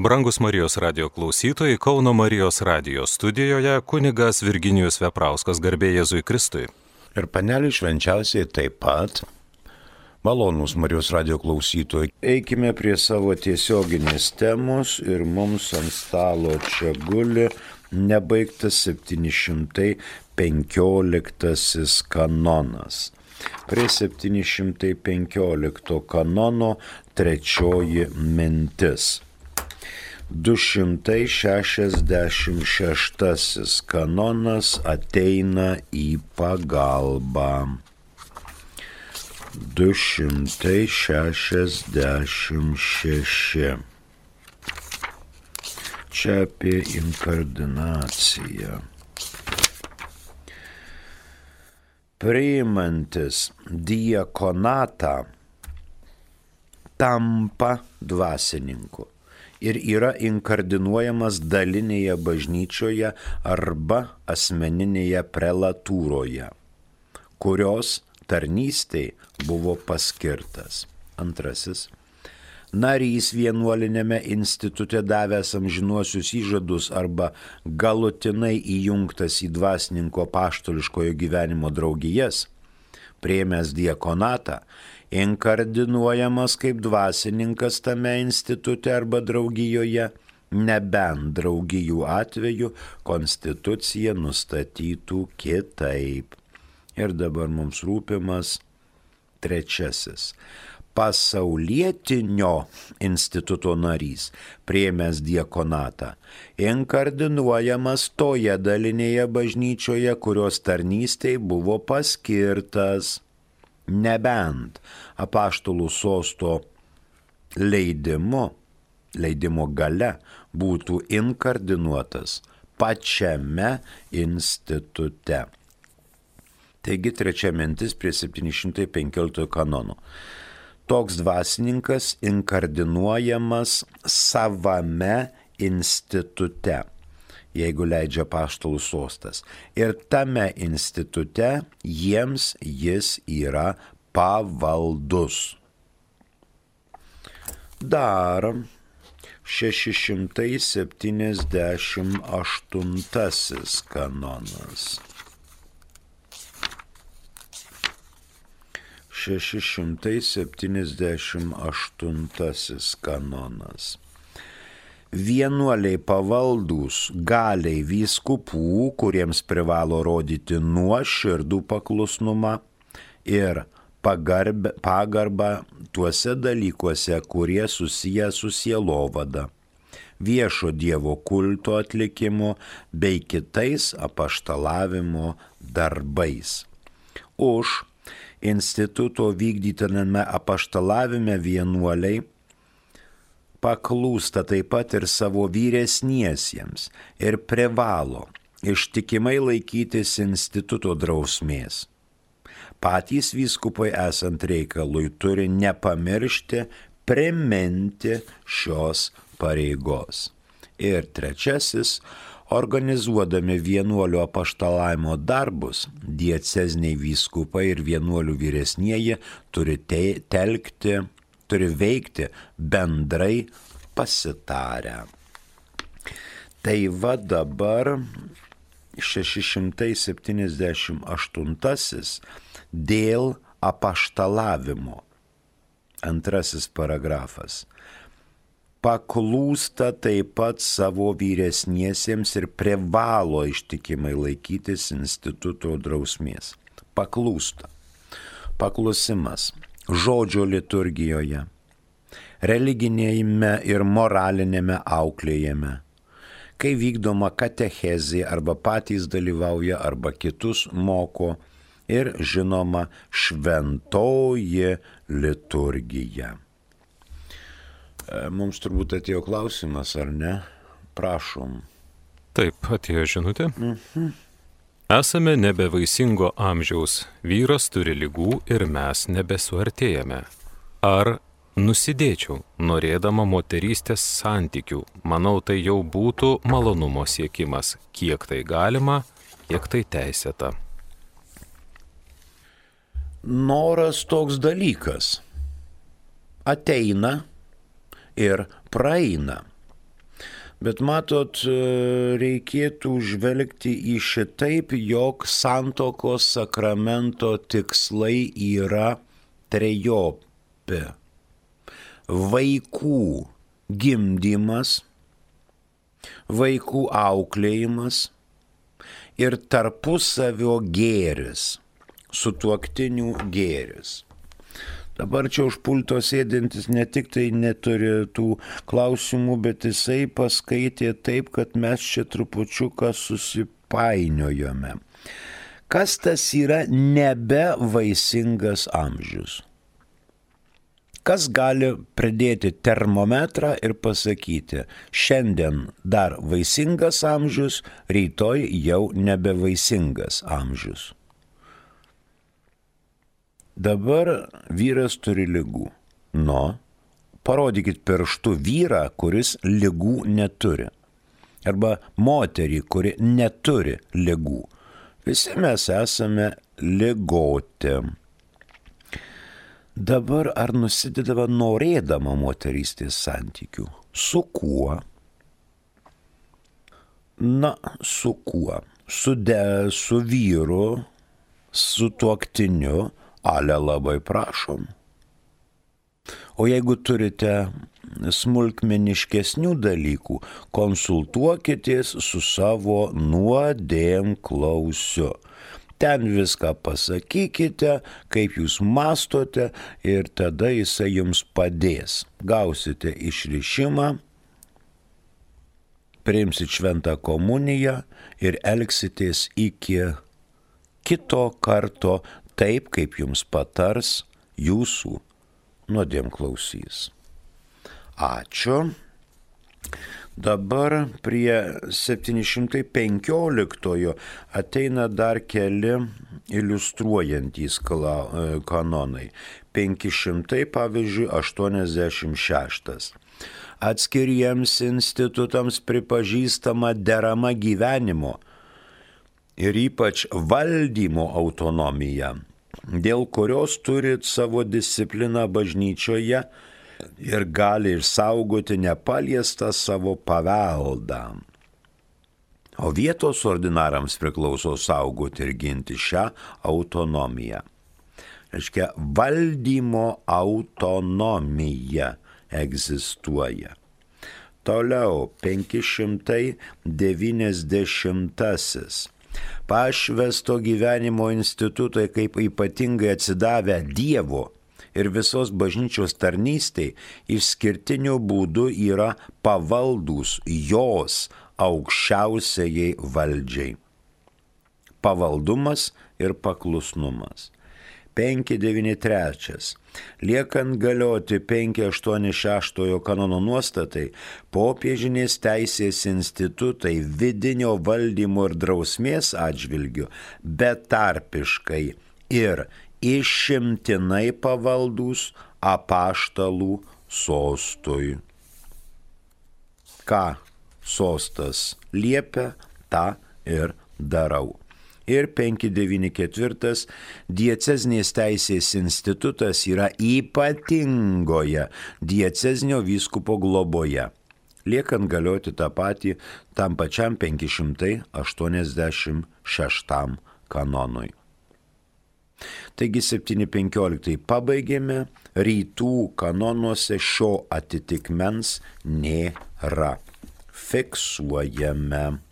Brangus Marijos radijo klausytojai, Kauno Marijos radijo studijoje kunigas Virginijus Veprauskas, garbė Jėzui Kristui. Ir panelį švenčiausiai taip pat. Malonūs Marijos radijo klausytojai, eikime prie savo tiesioginės temos ir mums ant stalo čia guli nebaigtas 715 kanonas. Prie 715 kanono trečioji mintis. 266 kanonas ateina į pagalbą. 266. Čia apie inkardinaciją. Priimantis diakonatą tampa dvasininku ir yra inkardinuojamas dalinėje bažnyčioje arba asmeninėje prelatūroje, kurios tarnystei buvo paskirtas. Antrasis. Narys vienuolinėme institute davęs amžinuosius įžadus arba galutinai įjungtas į dvasininko apaštališkojo gyvenimo draugijas, priėmęs diakonatą, inkardinuojamas kaip dvasininkas tame institute arba draugijoje, nebent draugijų atveju konstitucija nustatytų kitaip. Ir dabar mums rūpimas trečiasis. Pasaulietinio instituto narys, priėmęs diakonatą, inkardinuojamas toje dalinėje bažnyčioje, kurios tarnystei buvo paskirtas, nebent apaštalų sosto leidimo gale būtų inkardinuotas pačiame institute. Taigi trečia mintis prie 715 kanono. Toks dvasininkas inkardinuojamas savame institute, jeigu leidžia apaštalų sostas. Ir tame institute jiems jis yra pavaldus. Dar 678 kanonas. 678 kanonas. Vienuoliai pavaldūs galiai vyskupų, kuriems privalo rodyti nuoširdų paklusnumą ir pagarbą tuose dalykuose, kurie susiję su sielovada, viešo Dievo kulto atlikimu bei kitais apaštalavimo darbais. Už instituto vykdytiname apaštalavime vienuoliai paklūsta taip pat ir savo vyresniesiems ir privalo ištikimai laikytis instituto drausmės. Patys vyskupai esant reikalui turi nepamiršti priminti šios pareigos. Ir trečiasis, organizuodami vienuolių apaštalavimo darbus, dieceziniai vyskupai ir vienuolių vyresnieji turi veikti bendrai pasitarę. Tai va dabar 678 dėl apaštalavimo. Antrasis paragrafas. Paklūsta taip pat savo vyresniesiems ir privalo ištikimai laikytis instituto drausmės. Paklūsta. Paklusimas žodžio liturgijoje, religinėme ir moralinėme auklėjime, kai vykdoma katechezė arba patys dalyvauja arba kitus moko ir žinoma šventoji liturgija. Mums turbūt atėjo klausimas, ar ne? Prašom. Taip, atėjo žinutė. Esame nebevaisingo amžiaus, vyras turi ligų ir mes nebesuartėjame. Ar nusidėčiau, norėdama moterystės santykių? Manau, tai jau būtų malonumo siekimas. Kiek tai galima, kiek tai teisėta. Noras toks dalykas. Ateina ir praeina. Bet matot, reikėtų žvelgti į šitaip, jog santuokos sakramento tikslai yra trejopi. Vaikų gimdymas, vaikų auklėjimas ir tarpusavio gėris, sutuoktinių gėris. Dabar čia už pulto sėdintis ne tik tai neturi tų klausimų, bet jisai paskaitė taip, kad mes čia trupučiuką susipainiojome. Kas tas yra nebevaisingas amžius? Kas gali pridėti termometrą ir pasakyti, šiandien dar vaisingas amžius, rytoj jau nebevaisingas amžius? Dabar vyras turi ligų. Parodykit pirštu vyrą, kuris ligų neturi. Arba moterį, kuri neturi ligų. Visi mes esame ligoti. Dabar ar nusidedava norėdama moterystės santykių? Su kuo? Su kuo? Su vyru, su tuoktiniu. Ale labai prašom. O jeigu turite smulkmeniškesnių dalykų, konsultuokitės su savo nuodėmklausiu. Ten viską pasakykite, kaip jūs mastote ir tada jisai jums padės. Gausite išrišimą, priimsit šventą komuniją ir elgsitės iki kito karto taip, kaip jums patars jūsų nuodėmklausys. Ačiū. Dabar prie 715 ateina dar keli iliustruojantys kanonai. 500, pavyzdžiui, 86. Atskiriems institutams pripažįstama derama gyvenimo ir ypač valdymo autonomija, dėl kurios turit savo discipliną bažnyčioje ir gali išsaugoti nepaliestą savo paveldą. O vietos ordinarams priklauso saugoti ir ginti šią autonomiją. Reiškia, valdymo autonomija egzistuoja. Toliau, 590. Pašvesto gyvenimo institutai kaip ypatingai atsidavę Dievo ir visos bažnyčios tarnystei išskirtiniu būdu yra pavaldūs jos aukščiausiai valdžiai. Pavaldumas ir paklusnumas. 593. Liekant galioti 586 kanono nuostatai, popiežinės teisės institutai vidinio valdymo ir drausmės atžvilgiu betarpiškai ir išimtinai pavaldūs apaštalų sostui. Ką sostas liepia, tą ir darau. Ir 594 diecezinės teisės institutas yra ypatingoje diecezinio vyskupo globoje, liekant galioti tą patį tam pačiam 586 kanonui. Taigi 715 pabaigėme, rytų kanonuose šio atitikmens nėra. Fiksuojame.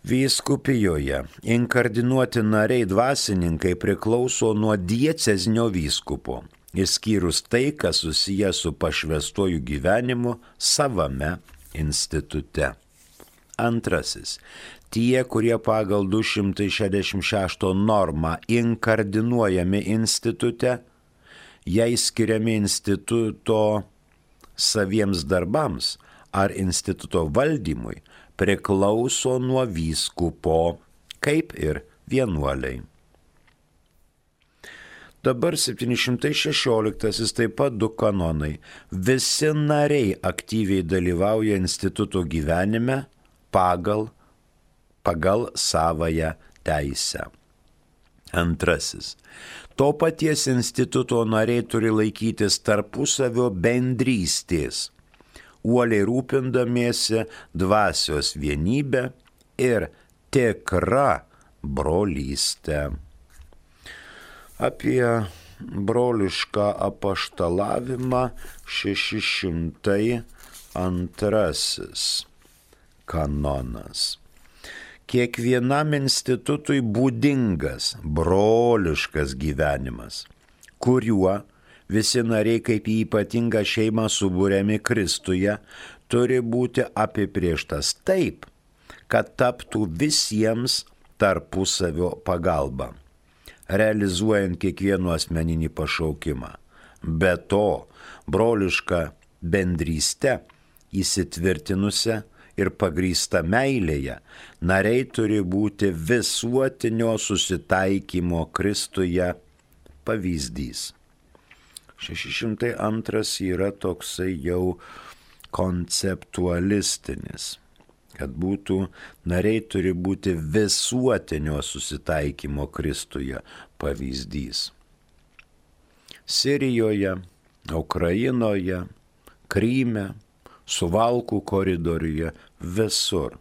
Vyskupijoje inkardinuoti nariai dvasininkai priklauso nuo diecezinio vyskupo, išskyrus tai, kas susiję su pašvestuoju gyvenimu savame institute. Antrasis. Tie, kurie pagal 266 normą inkardinuojami institute, jei skiriami instituto saviems darbams ar instituto valdymui, priklauso nuo vyskupo, kaip ir vienuoliai. Dabar 716 taip pat 2 kanonai. Visi nariai aktyviai dalyvauja instituto gyvenime pagal savąją teisę. Antrasis. To paties instituto nariai turi laikytis tarpusavio bendrystės, uoliai rūpindamiesi dvasios vienybę ir tikrą brolystę. Apie brolišką apaštalavimą 602 kanonas. Kiekvienam institutui būdingas broliškas gyvenimas, kuriuo visi nariai kaip į ypatingą šeimą subūriami Kristuje, turi būti apibrėžtas taip, kad taptų visiems tarpusavio pagalba, realizuojant kiekvieno asmeninį pašaukimą. Be to, broliška bendryste įsitvirtinusią ir pagrįsta meilėje, nariai turi būti visuotinio susitaikymo Kristuje pavyzdys. 602 yra toksai jau konceptualistinis, kad nariai turi būti visuotinio susitaikymo Kristuje pavyzdys. Sirijoje, Ukrainoje, Kryme, Suvalkų koridoriuje, visur.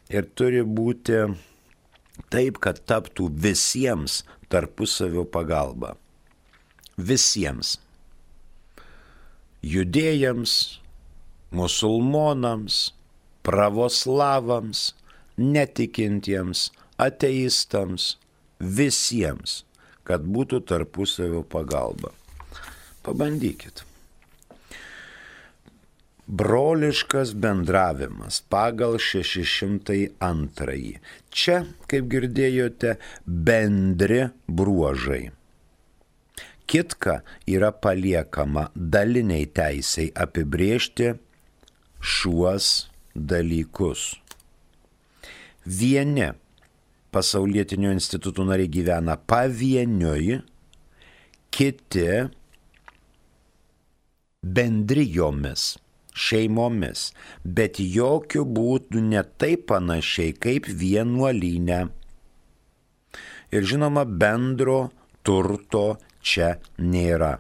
Ir turi būti taip, kad taptų visiems tarpusavio pagalba. Visiems. Judėjams, musulmonams, pravoslavams, netikintiems, ateistams, visiems, kad būtų tarpusavio pagalba. Pabandykit. Broliškas bendravimas pagal 602. Čia, kaip girdėjote, bendri bruožai. Kitka yra paliekama daliniai teisei apibrėžti šiuos dalykus. Vieni pasaulietinio institutų nariai gyvena pavieniui, kiti bendrijomis, šeimomis, bet jokių būdų ne taip panašiai kaip vienuolyne. Ir žinoma, bendro turto čia nėra.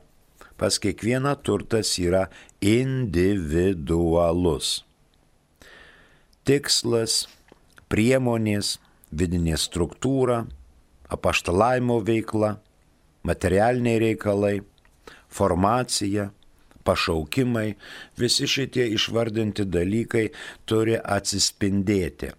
Pas kiekvieną turtas yra individualus. Tikslas, priemonės, vidinė struktūra, apaštalavimo veikla, materialiniai reikalai, formacija, pašaukimai, visi šitie išvardinti dalykai turi atsispindėti.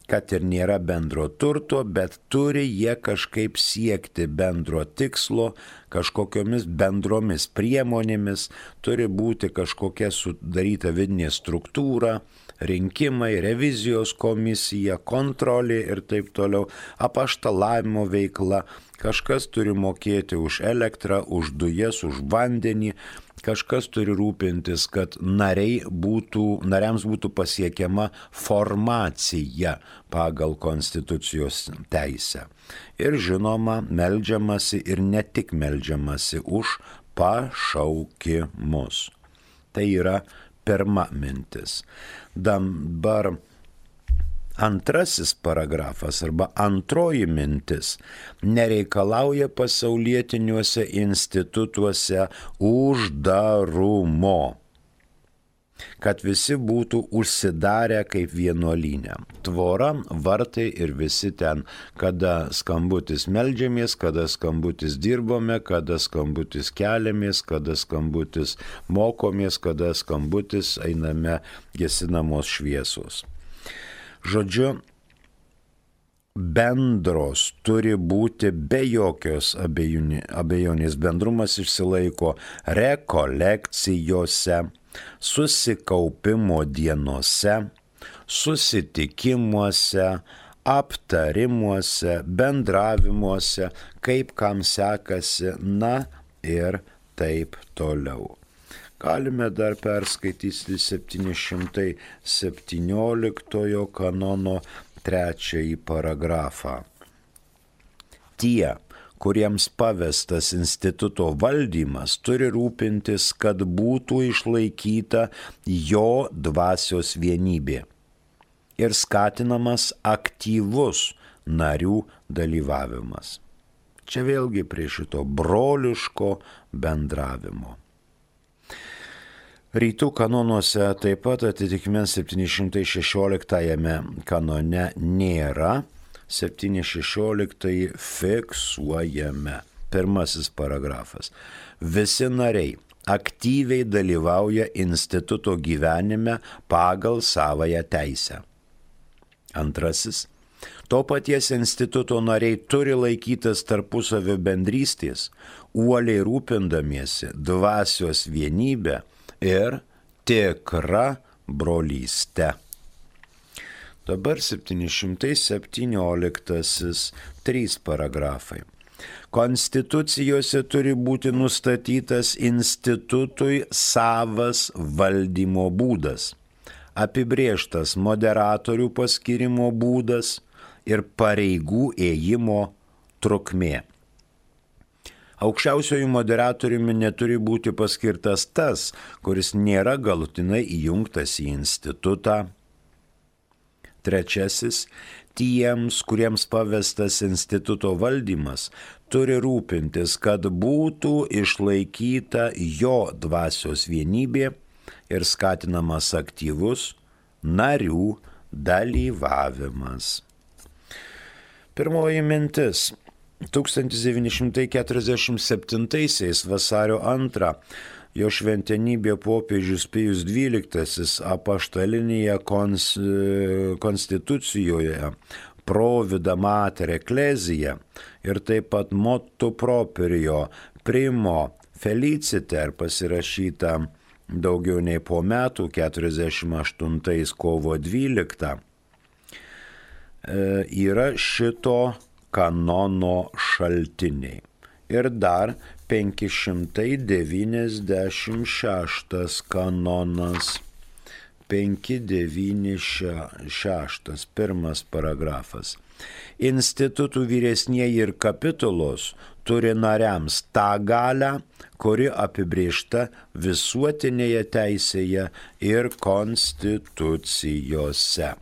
Kad ir nėra bendro turto, bet turi jie kažkaip siekti bendro tikslo, kažkokiomis bendromis priemonėmis, turi būti kažkokia sudaryta vidinė struktūra, rinkimai, revizijos komisija, kontrolė ir taip toliau, apaštalavimo veikla, kažkas turi mokėti už elektrą, už dujas, už vandenį, kažkas turi rūpintis, kad nariams būtų pasiekiama formacija pagal konstitucijos teisę. Ir žinoma, meldžiamasi ir ne tik meldžiamasi už pašaukimus. Tai yra pirma mintis. Dabar antrasis paragrafas arba antroji mintis nereikalauja pasaulietiniuose institutuose uždarumo, kad visi būtų užsidarę kaip vienuolyne. Tvora, vartai ir visi ten, kada skambutis meldžiamės, kada skambutis dirbome, kada skambutis keliamės, kada skambutis mokomės, kada skambutis einame gesinamos šviesos. Žodžiu, bendros turi būti be jokios abejonės. Bendrumas išsilaiko rekolekcijose, susikaupimo dienose, susitikimuose, aptarimuose, bendravimuose, kaip kam sekasi, na ir taip toliau. Galime dar perskaityti 717 kanono 3 paragrafą. Tie, kuriems pavestas instituto valdymas, turi rūpintis, kad būtų išlaikyta jo dvasios vienybė ir skatinamas aktyvus narių dalyvavimas. Čia vėlgi prie šito broliško bendravimo. Rytų kanonuose taip pat atitikmens 716 kanone nėra, 716 fiksuojame. Pirmasis paragrafas. Visi nariai aktyviai dalyvauja instituto gyvenime pagal savąją teisę. Antrasis. To paties instituto nariai turi laikytis tarpusavio bendrystės, uoliai rūpindamiesi dvasios vienybę ir tikrą brolystę. Dabar 717, 3 paragrafai. Konstitucijose turi būti nustatytas institutui savas valdymo būdas, apibrėžtas moderatorių paskirimo būdas ir pareigų ėjimo trukmė. Aukščiausiojų moderatoriumi neturi būti paskirtas tas, kuris nėra galutinai įjungtas į institutą. Trečiasis. Tiems, kuriems pavestas instituto valdymas, turi rūpintis, kad būtų išlaikyta jo dvasios vienybė ir skatinamas aktyvus narių dalyvavimas. Pirmoji mintis. 1947 vasario 2 jo šventenybė popiežius Pijus XII apaštalinėje konstitucijoje Provida Mater Ecclesia ir taip pat Motu Proprio Primo Feliciter pasirašyta daugiau nei po metų, 48 kovo 12, yra šito kanono šaltiniai. Ir dar 596 kanonas, 596, pirmas paragrafas. Institutų vyresnieji ir kapitulos turi nariams tą galią, kuri apibrėžta visuotinėje teisėje ir konstitucijose.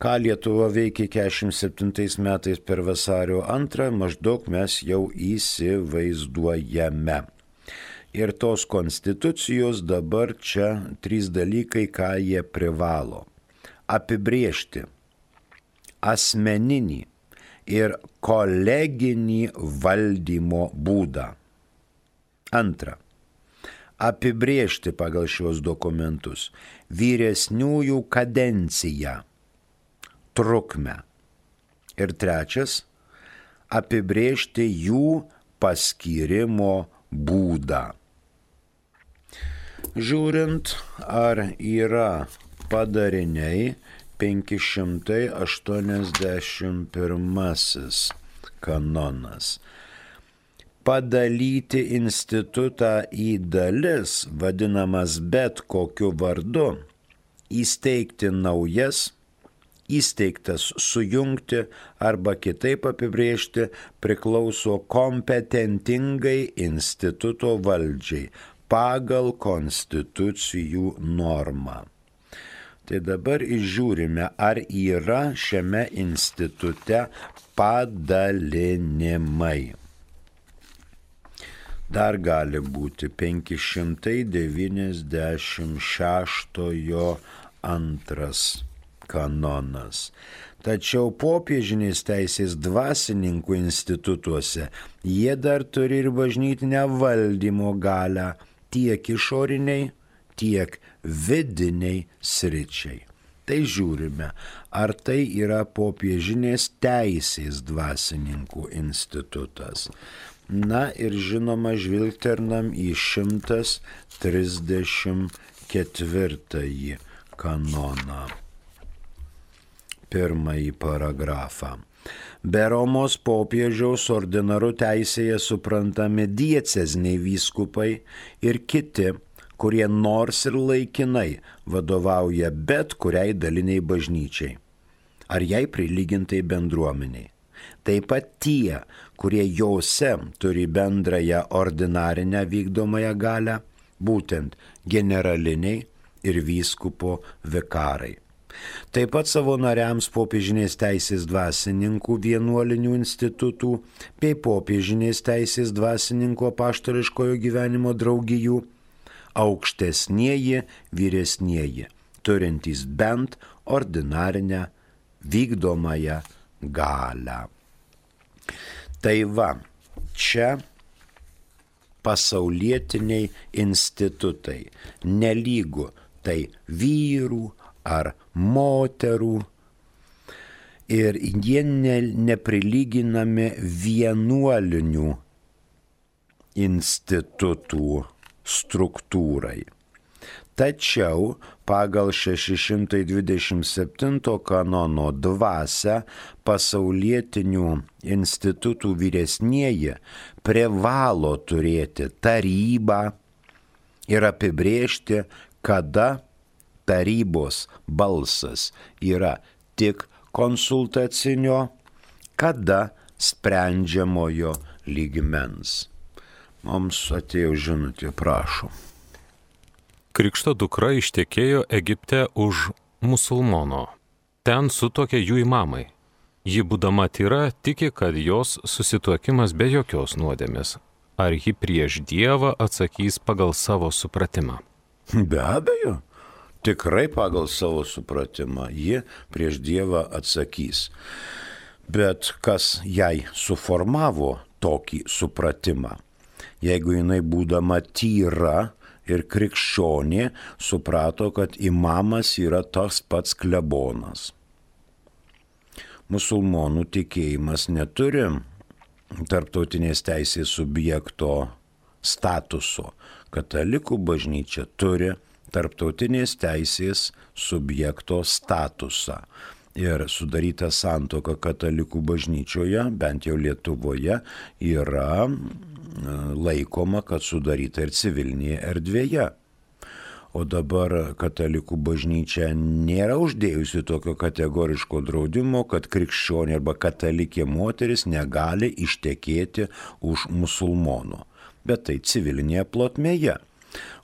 Ką Lietuva veikė 47 metais per vasario 2, maždaug mes jau įsivaizduojame. Ir tos konstitucijos dabar čia 3 dalykai, ką jie privalo. Apibrėžti asmeninį ir koleginį valdymo būdą. Antra. Apibrėžti pagal šios dokumentus vyresniųjų kadenciją, trukmę. Ir trečias, apibrėžti jų paskyrimo būdą. Žiūrint, ar yra padariniai, 581 kanonas. Padalyti institutą į dalis, vadinamas bet kokiu vardu, įsteigti naujas, įsteigtas sujungti arba kitaip apibrėžti priklauso kompetentingai instituto valdžiai pagal konstitucijų normą. Tai dabar išžiūrime, ar yra šiame institute padalinimai. Dar gali būti 596 antras kanonas. Tačiau popiežinės teisės dvasininkų institutuose jie dar turi ir bažnytinę valdymo galią tiek išoriniai, tiek vidiniai sričiai. Tai žiūrime, ar tai yra popiežinės teisės dvasininkų institutas. Na ir žinoma, žvilgternam į 134 kanoną. Pirmąjį paragrafą. Be Romos popiežiaus ordinaru teisėje suprantami dieceziniai vyskupai ir kiti, kurie nors ir laikinai vadovauja bet kuriai daliniai bažnyčiai, ar jai prilygintai bendruomeniai. Taip pat tie, kurie jose turi bendrąją ordinarinę vykdomąją galią, būtent generaliniai ir vyskupo vikarai. Taip pat savo nariams popiežinės teisės dvasininkų vienuolinių institutų bei popiežinės teisės dvasininkų apaštališkojo gyvenimo draugijų aukštesnieji vyresnieji, turintys bent ordinarinę vykdomąją galią. Tai va, čia pasaulietiniai institutai, nelygu tai vyrų ar moterų, ir jie neprilyginami vienuolinių institutų struktūrai. Tačiau pagal 627 kanono dvasią pasaulietinių institutų vyresnieji privalo turėti tarybą ir apibrėžti, kada tarybos balsas yra tik konsultacinio, kada sprendžiamojo lygmens. Mums atėjo žinutė, prašom. Krikšto dukra ištekėjo Egipte už musulmono. Ten sutuokė jų imamai. Ji būdama tyra tiki, kad jos susituokimas be jokios nuodėmės. Ar ji prieš Dievą atsakys pagal savo supratimą? Be abejo, tikrai pagal savo supratimą ji prieš Dievą atsakys. Bet kas jai suformavo tokį supratimą? Jeigu jinai būdama tyra ir krikščionė suprato, kad imamas yra tas pats klebonas. Musulmonų tikėjimas neturi tarptautinės teisės subjekto statuso. Katalikų bažnyčia turi tarptautinės teisės subjekto statusą. Ir sudaryta santuoka katalikų bažnyčioje, bent jau Lietuvoje, yra laikoma, kad sudaryta ir civilinėje erdvėje. O dabar katalikų bažnyčia nėra uždėjusi tokio kategoriško draudimo, kad krikščionė arba katalikė moteris negali ištekėti už musulmono. Bet tai civilinėje plotmėje.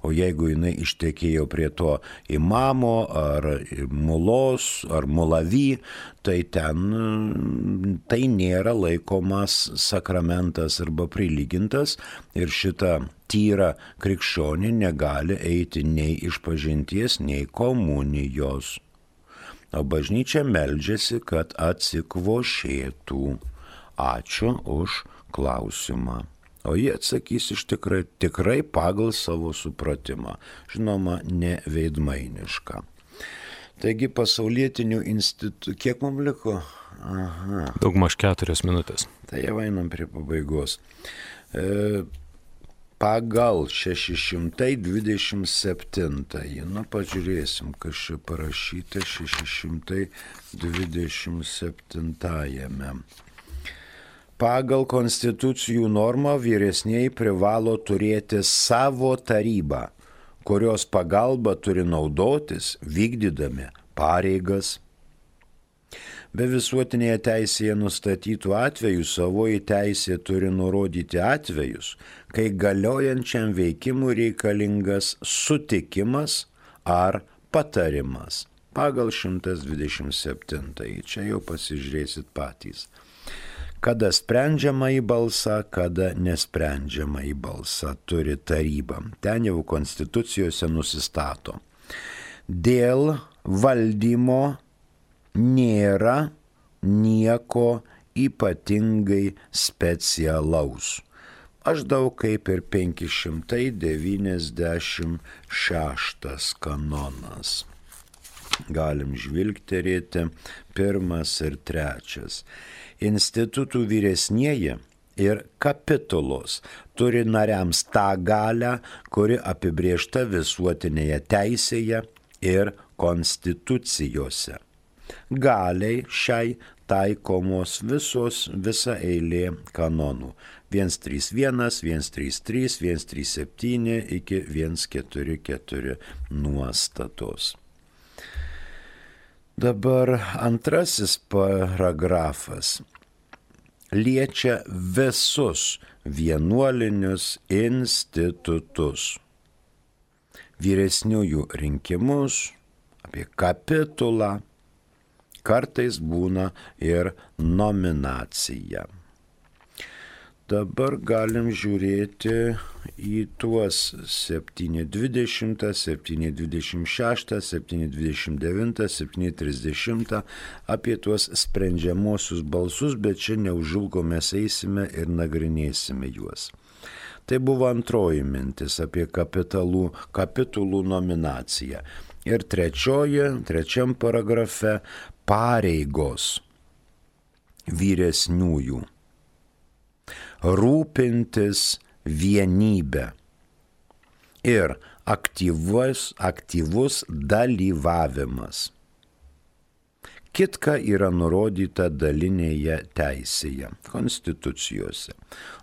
O jeigu jinai ištekėjo prie to imamo ar mulos ar mulavy, tai ten tai nėra laikomas sakramentas arba prilygintas ir šita tyra krikščionė negali eiti nei išpažinties, nei komunijos. O bažnyčia meldžiasi, kad atsikvošėtų. Ačiū už klausimą. O jie atsakys iš tikrai pagal savo supratimą, žinoma, ne veidmainišką. Taigi pasaulietinių institutų, kiek mums liko? Aha. Daugmaž 4 minutės. Tai jau einam prie pabaigos. Pagal 627, pažiūrėsim, kas čia parašyta 627. Pagal konstitucijų normą vyresnieji privalo turėti savo tarybą, kurios pagalba turi naudotis vykdydami pareigas. Be visuotinėje teisėje nustatytų atvejų savoji teisė turi nurodyti atvejus, kai galiojančiam veikimui reikalingas sutikimas ar patarimas. Pagal 127. Čia jau pasižiūrėsit patys. Kada sprendžiama į balsą, kada nesprendžiama į balsą turi taryba. Ten jau konstitucijose nusistato. Dėl valdymo nėra nieko ypatingai specialaus. Maždaug kaip ir 596 kanonas. Galim žvilgterėti 1 ir 3. Institutų vyresnieji ir kapitulos turi nariams tą galią, kuri apibrėžta visuotinėje teisėje ir konstitucijose. Galiai šiai taikomos visa eilė kanonų. 131, 133, 137 iki 144 nuostatos. Dabar antrasis paragrafas liečia visus vienuolinius institutus. Vyresniųjų rinkimus, apie kapitulą, kartais būna ir nominacija. Dabar galim žiūrėti į tuos 7.20, 7.26, 7.29, 7.30 apie tuos sprendžiamosius balsus, bet čia neužilgo mes eisime ir nagrinėsime juos. Tai buvo antroji mintis apie kapitulų nominaciją. Ir trečiam paragrafe pareigos vyresniųjų. Rūpintis vienybę ir aktyvus dalyvavimas. Kitka yra nurodyta dalinėje teisėje, konstitucijose.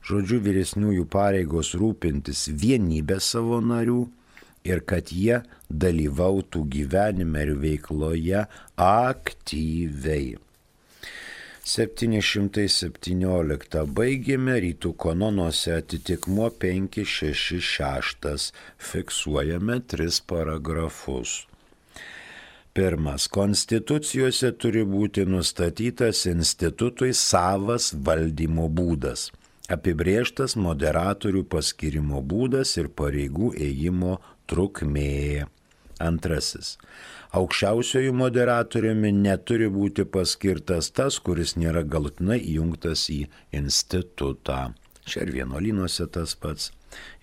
Žodžiu, vyresniųjų pareigos rūpintis vienybę savo narių ir kad jie dalyvautų gyvenime ir veikloje aktyviai. 717 baigėme, rytų kanonuose atitikmuo 566, fiksuojame 3 paragrafus. Pirmas. Konstitucijose turi būti nustatytas institutui savas valdymo būdas, apibrėžtas moderatorių paskirimo būdas ir pareigų ėjimo trukmė. Antrasis. Aukščiausiojų moderatoriumi neturi būti paskirtas tas, kuris nėra galutinai įjungtas į institutą. Čia ir vienuolynuose tas pats.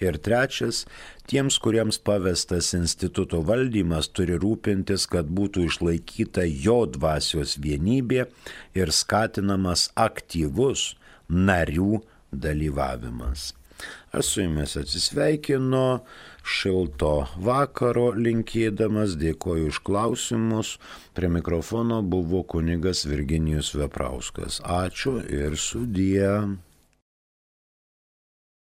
Ir trečias, tiems, kuriems pavestas instituto valdymas, turi rūpintis, kad būtų išlaikyta jo dvasios vienybė ir skatinamas aktyvus narių dalyvavimas. Aš su jumis atsisveikinu, šilto vakaro linkėdamas, dėkoju už klausimus. Prie mikrofono buvo kunigas Virginijus Veprauskas. Ačiū ir sudie.